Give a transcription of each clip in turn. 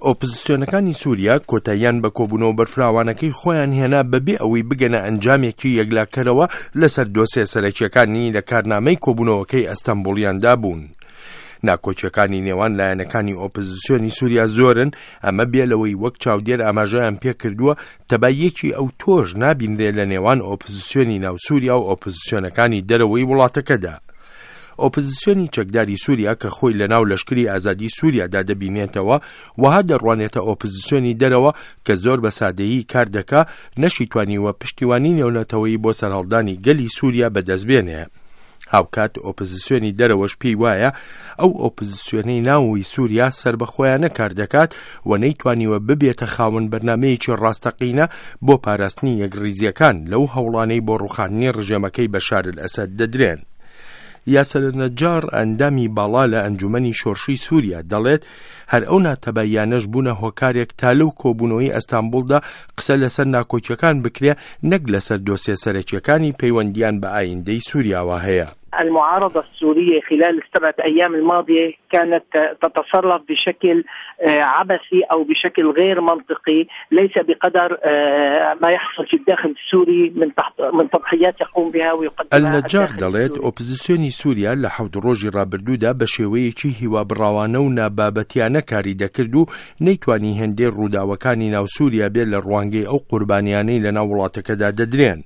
ئۆپزسیۆنەکانی سووریا کۆتاییان بە کۆبوونەوە بەرفراوانەکەی خۆیان هێنا بەبێ ئەوەی بگەنە ئەنجامێکی یەکلاکەرەوە لەسەر دۆسێ سەرەکیەکانی لە کارنامەی کۆبوونەوەکەی ئەستەنبوڵیاندا بوون. ناکۆکیەکانی نێوان لایەنەکانی ئۆپزسیۆنی سووریا زۆرن، ئەمە بێ لەوەی وەک چاودێر ئاماژەیان پێکردووە تەباییەکی ئەوتۆش نابینرێ لە نێوان ئۆپزسیۆنی ناو سووریا و ئۆپزسیۆنەکانی دەرەوەی وڵاتەکەدا. ئۆپزسیۆنی چەکداری سووریا کە خۆی لە ناو لەشکری ئازادی سووریادا دەبینێتەوە، وەها دەڕوانێتە ئۆپزسیۆنی دەرەوە کە زۆر بە سادەیی کار دەکا، نەشیتوانیوە پشتیوانی نێونەتەوەیی بۆ سەرهەڵدانی گەلی سووریا بەدەست بێنێ. هاوکات ئۆپزسیۆنی دەرەوەش پێی وایە ئەو ئۆپزسیۆنەی ناوەوەی سووریا سەربەخۆیانە کار دەکات و نەیتوانیوە ببێتە خاوەن بەرنامەیەکی ڕاستەقینە بۆ پاراستنی یەکڕیزییەکان لەو هەوڵانەی بۆ ڕووخاندنی ڕژێمەکەی بەشار ئەلئەسەد دەدرێن. یاسر نەجار ئەندامی باڵا لە ئەنجومەنی شۆرشی سووریا دەڵێت هەر ئەو ناتەباییانەش بوونە هۆکارێک تا لەو کۆبوونەوەی ئەستانبوڵدا قسە لەسەر ناکۆکیەکان بکرێ نەک لەسەر دۆسیە سەرەکیەکانی پەیوەندیان بە ئایندەی سوریاوە هەیە. المعارضة السورية خلال السبعة أيام الماضية كانت تتصرف بشكل عبثي أو بشكل غير منطقي ليس بقدر ما يحصل في الداخل السوري من من تضحيات يقوم بها ويقدمها النجار دەڵێت ئۆپزسیۆنی سووریا لە حەوت ڕۆژی ڕابردوودا بە شێوەیەکی هیوابڕاوانە و نابابەتیانە کاری دەکرد و نەیتوانی هێندەی ڕووداوەکانی ناو سووریا بێت لە ڕوانگەی ئەو قوربانیانەی لەناو وڵاتەکەدا دەدرێن.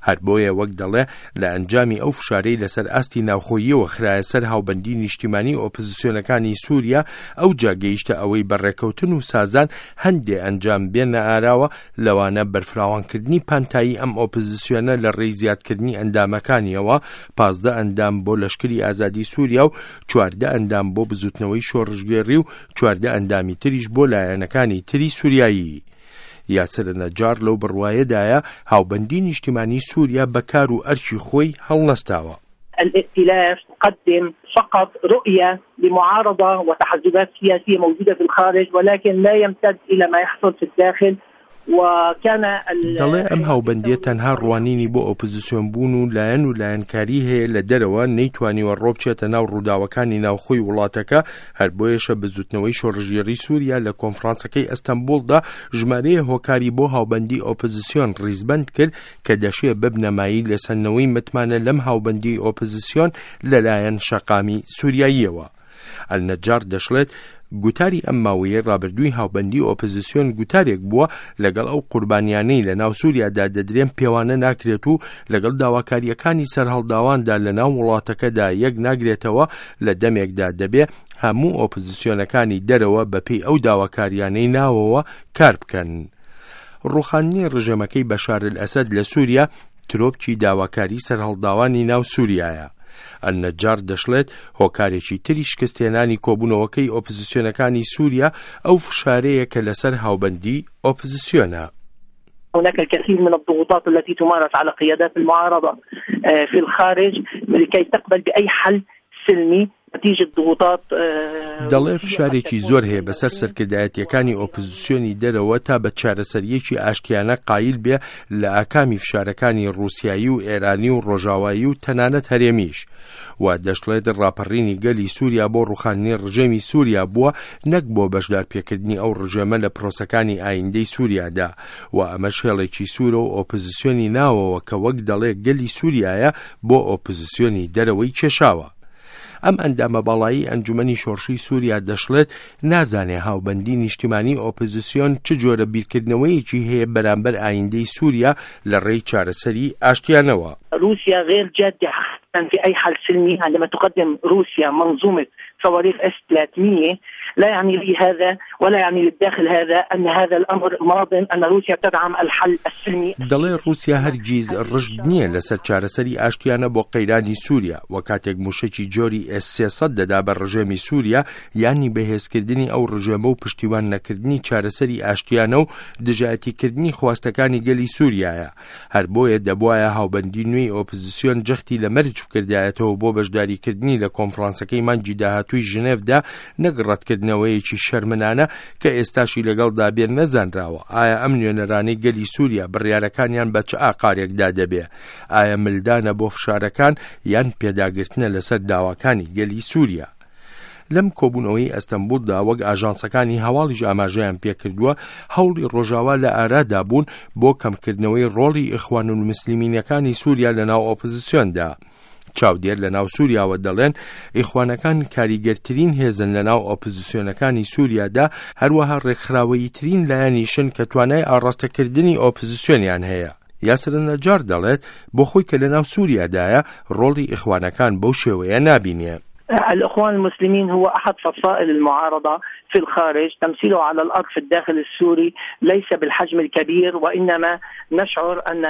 هەر بۆیە وەک دەڵێ لە ئەنجامی ئەو فشارەی لەسەر ئاستی ناوخۆییەوە خرایە سەر هاوبەندی نیشتیمانی ئۆپزسیۆنەکانی سووریا ئەوجا گەیشتە ئەوەی بە ڕێکەوتن و سازان هەندێ ئەنجام بێنە ئاراوە لەوانە بەرفراوانکردنی پانتایی ئەم ئۆپزسیۆنە لە ڕێی زیادکردنی ئەندامەکانیەوە 15 ئەندام بۆ لەشکری ئازادی سووریا و 14 ئەندام بۆ بزوتنەوەی شۆڕشگێڕی و 14 ئەندامی تریش بۆ لایەنەکانی تری سووریایی. یاسر نەجار لەو بڕوایەدایە هاوبەندی نیشتیمانی سووریا بە کار و ئەرکی خۆی هەڵنەستاوە. الائتلاف تقدم فقط رؤية لمعارضة وتحزبات سياسية موجودة في الخارج ولكن لا يمتد إلى ما يحصل في الداخل وكان دەڵێ ئەم هاوبەندیە تەنها ڕوانینی بۆ ئۆپزسیۆن بوون و لایەن و لایەنکاری هەیە لە دەرەوە نەیتوانیوە ڕۆبچێتە ناو ڕووداوەکانی ناوخۆی وڵاتەکە هەر بۆیەشە بزوتنەوەی شۆڕشگێڕی سووریا لە کۆنفرانسەکەی ئەستەنبوڵدا ژمارەیە هۆکاری بۆ هاوبەندی ئۆپزسیۆن ڕیزبەند کرد کە دەشێ ببنە مایەی لێسەندنەوەی متمانە لەم هاوبەندیی ئۆپزسیۆن لەلایەن شەقامی سووریاییەوە. ئەلنەجار دەشڵێت، گوتاری ئەم ماوەیەی ڕابردووی هاوبەندی ئۆپزسیۆن گوتارێک بووە لەگەڵ ئەو قوربانیانەی لە ناو سووریادا دەدرێن پێوانە ناکرێت و لەگەڵ داواکارییەکانی سەرهەڵداواندا لە ناو وڵاتەکەدا یەک ناگرێتەوە لە دەمێکدا دەبێ هەموو ئۆپزسیۆنەکانی دەرەوە بەپێی ئەو داواکاریانەی ناوەوە کار بکەن. ڕووخاندنی ڕژێمەکەی بەشار ئەلئەسەد لە سووریا ترۆپکی داواکاری سەرهەڵداوانی ناو سووریایە. ئەلنەجار دەشڵێت، هۆکارێکی تری شکستهێنانی کۆبوونەوەکەی ئۆپزسیۆنەکانی سووریا ئەو فشارەیە کە لەسەر هاوبەندی ئۆپزسیۆنە. هناك الكثير من الضغوطات التي تمارس على قيادات المعارضة في الخارج لكي تقبل بأي حل سلمي نتیجە ضغوطات دەڵێ فشارێکی زۆر هەیە بەسەر سەرکردایەتیەکانی ئۆپزسیۆنی دەرەوە تا بە چارەسەریەکی ئاشتیانە قایل بێ لە ئاکامی فشارەکانی ڕووسیایی و ئێرانی و ڕۆژاوایی و تەنانەت هەرێمیش و دەشڵێت ڕاپەڕینی گەلی سووریا بۆ ڕوخاندنی ڕژێمی سووریا بووە نەک بۆ بەشدار پێکردنی ئەو ڕژێمە لە پرۆسەکانی ئایندەی سووریادا و ئەمەش هێڵێکی سوورە و ئۆپزسیۆنی ناوەوە کە وەک دەڵێ گەلی سووریایە بۆ ئۆپزسیۆنی دەرەوەی کێشاوە. ئەم ئەندامە باڵایی ئەنجومەنی شۆڕشی سووریا دەشڵێت، نازانێ هاوبەندی نیشتیمانی ئۆپزسیۆن چ جۆرە بیرکردنەوەیەکی هەیە بەرامبەر ئایندەی سووریا لە ڕێی چارەسەری ئاشتیانەوە. روسیا غیر جادە حقیقە فی ای حل سلمی عندما تقدم روسیا منظومە صواريخ اس 300 لا يعني لي هذا ولا يعني للداخل هذا أن هذا الأمر ماض أن روسيا تدعم الحل السلمي. دەڵێ ڕووسیا هەرگیز ڕژد نییە لەسەر چارەسەری ئاشتیانە بۆ قەیرانی سووریا و کاتێک مووشەکی جۆری ئێس 300 دەدا بە ڕژێمی سووریا یانی بەهێزکردنی ئەو ڕژێمە و پشتیوان نەکردنی چارەسەری ئاشتیانە و دژایەتیکردنی خواستەکانی گەلی سووریایە هەر بۆیە دەبوایە هاوبەندی نوێی ئۆپزسیۆن جەختی لە مەرج بکردایەتەوە بۆ بەشداریکردنی لە کۆنفرانسەکەی مانگی داهاتووی ژنێڤدا نەک ڕەتکردنەوەیەکی شەرمنانە کە ئێستاشی لەگەڵدا بێ نەزانراوە ئایا ئەم نوێنەرانەی گەلی سووریا بڕیارەکانیان بە چ ئاقارێکدا دەبێ ئایا ملدانە بۆ فشارەکان یان پێداگرتنە لەسەر داواکانی گەلی سووریا. لەم کۆبوونەوەی ئەستەنبوڵدا وەک ئاژانسەکانی هەواڵیش ئاماژەیان پێکردووە، هەوڵی ڕۆژاوا لە ئارادا بوون بۆ کەمکردنەوەی ڕۆڵی ئیخوانولموسلیمینەکانی سووریا لەناو ئۆپزسیۆندا. چاودێر لە ناو سووریاوە دەڵێن ئیخوانەکان کاریگەرترین هێزن لە ناو ئۆپزسیۆنەکانی سووریادا، هەروەها ڕێکخراوەییترین لایەنیشن کە توانای ئاڕاستەکردنی ئۆپزسیۆنیان هەیە. یاسر نەجار دەڵێت، بۆ خۆی کە لەناو سووریادایە، ڕۆڵی ئیخوانەکان بەو شێوەیە نابینێ. الإخوان المسلمين هو أحد فصائل المعارضة في الخارج تمثيله على الأرض في الداخل السوري ليس بالحجم الكبير وإنما نشعر أن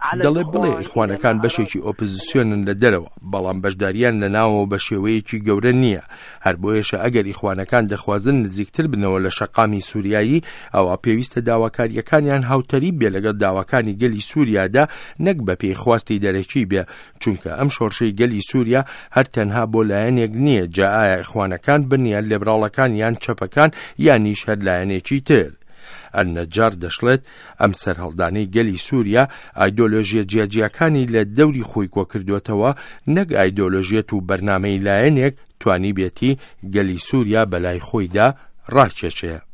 على دەڵێ بڵێ ئیخوانەکان بەشێکی ئۆپزسیۆنن لە دەرەوە، بەڵام بەشداریان لە ناوەوە بە شێوەیەکی گەورە نییە، هەر بۆیەشە ئەگەر ئیخوانەکان دەخوازن نزیکتر بنەوە لە شەقامی سوریایی، ئەوا پێویستە داواکارییەکانیان هاوتەریب بێ لەگەڵ داواکانی گەلی سوریادا نەک بەپێی خواستی دەرەکی بێ، چونکە ئەم شۆڕشەی گەلی سوریا هەر تەنها بۆ لایەنێک نییە، جا ئایا ئیخوانەکان بن یان لێبراڵەکان یان چەپەکان یانیش هەر لایەنێکی تر. ئەلنەجار دەشڵێت، ئەم سەرهەڵدانەی گەلی سوریا ئایدۆلۆژیە جیاجیاکانی لە دەوری خۆی کۆکردۆتەوە، نەک ئایدۆلۆژیەت و بەرنامەی لایەنێک توانیبێتی گەلی سوریا بەلای خۆیدا ڕاکێشێ.